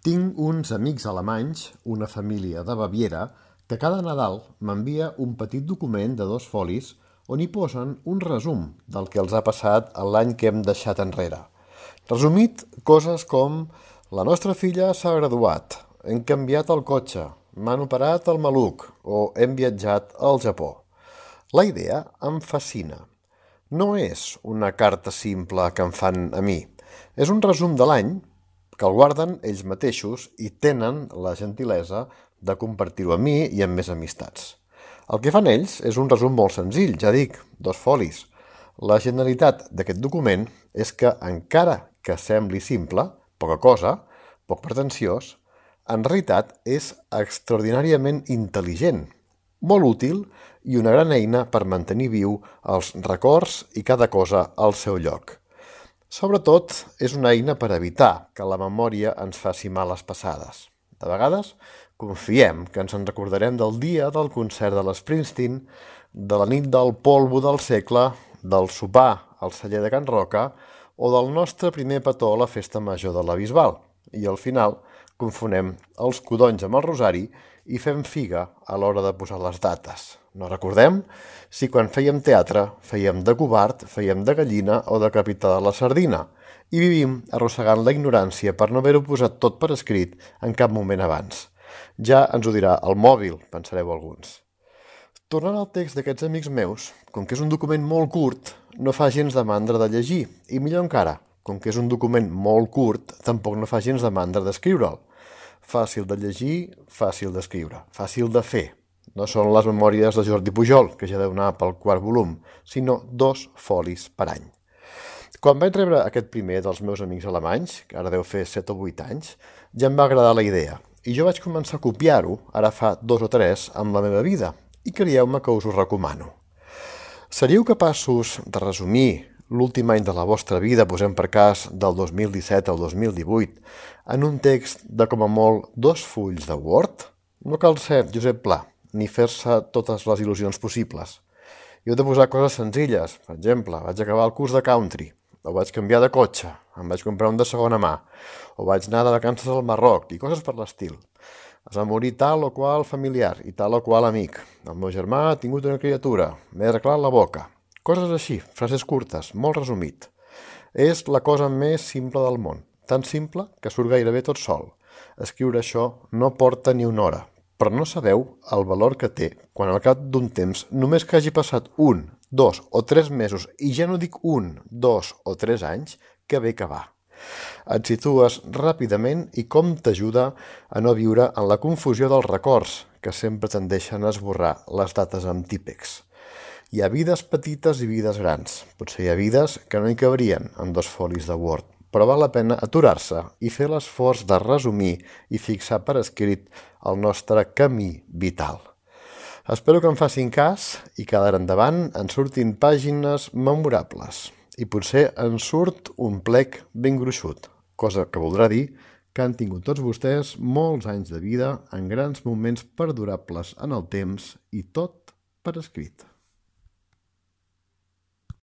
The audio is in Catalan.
Tinc uns amics alemanys, una família de Baviera, que cada Nadal m'envia un petit document de 2 folis on hi posen un resum del que els ha passat l'any que hem deixat enrere. Resumit, coses com la nostra filla s'ha graduat, hem canviat el cotxe, m'han operat el maluc o hem viatjat al Japó. La idea em fascina. No és una carta simple que em fan a mi. És un resum de l'any que el guarden ells mateixos i tenen la gentilesa de compartir-ho amb mi i amb més amistats. El que fan ells és un resum molt senzill, ja dic, 2 folis. La generalitat d'aquest document és que, encara que sembli simple, poca cosa, poc pretensiós, en realitat és extraordinàriament intel·ligent, molt útil i una gran eina per mantenir viu els records i cada cosa al seu lloc. Sobretot, és una eina per evitar que la memòria ens faci males passades. De vegades, confiem que ens en recordarem del dia del concert de l'Springsteen, de la nit del polvo del segle, del sopar al celler de Can Roca o del nostre primer petó a la festa major de la Bisbal. I al final confonem els codonys amb el rosari i fem figa a l'hora de posar les dates. No recordem si quan fèiem teatre fèiem de covard, fèiem de gallina o de capità de la sardina i vivim arrossegant la ignorància per no haver-ho posat tot per escrit en cap moment abans. Ja ens ho dirà el mòbil, pensareu alguns. Tornant al text d'aquests amics meus, com que és un document molt curt, no fa gens de mandra de llegir, i millor encara, com que és un document molt curt, tampoc no fa gens de mandra d'escriure'l. Fàcil de llegir, fàcil d'escriure, fàcil de fer. No són les memòries de Jordi Pujol, que ja deu anar pel 4è volum, sinó 2 folis per any. Quan vaig rebre aquest primer dels meus amics alemanys, que ara deu fer 7 o 8 anys, ja em va agradar la idea, i jo vaig començar a copiar-ho, ara fa 2 o 3, amb la meva vida, i creieu-me que us ho recomano. Seríeu capaços de resumir l'últim any de la vostra vida, posem per cas del 2017 al 2018, en un text de com a molt 2 fulls de Word? No cal ser Josep Pla, ni fer-se totes les il·lusions possibles. Jo he de posar coses senzilles. Per exemple, vaig acabar el curs de country, o vaig canviar de cotxe, em vaig comprar un de segona mà, o vaig anar de vacances al Marroc, i coses per l'estil. Es va morir tal o qual familiar i tal o qual amic. El meu germà ha tingut una criatura, m'he arreglat la boca. Coses així, frases curtes, molt resumit. És la cosa més simple del món, tan simple que surt gairebé tot sol. Escriure això no porta ni una hora, però no sabeu el valor que té quan al cap d'un temps, només que hagi passat 1, 2 o 3 mesos, i ja no dic 1, 2 o 3 anys, que bé que va. Et situes ràpidament i com t'ajuda a no viure en la confusió dels records, que sempre tendeixen a esborrar les dates amb típex. Hi ha vides petites i vides grans. Potser hi ha vides que no hi cabrien en 2 folis de Word, però val la pena aturar-se i fer l'esforç de resumir i fixar per escrit el nostre camí vital. Espero que em facin cas i que d'ara endavant en surtin pàgines memorables. I potser en surt un plec ben gruixut, cosa que voldrà dir que han tingut tots vostès molts anys de vida en grans moments perdurables en el temps i tot per escrit.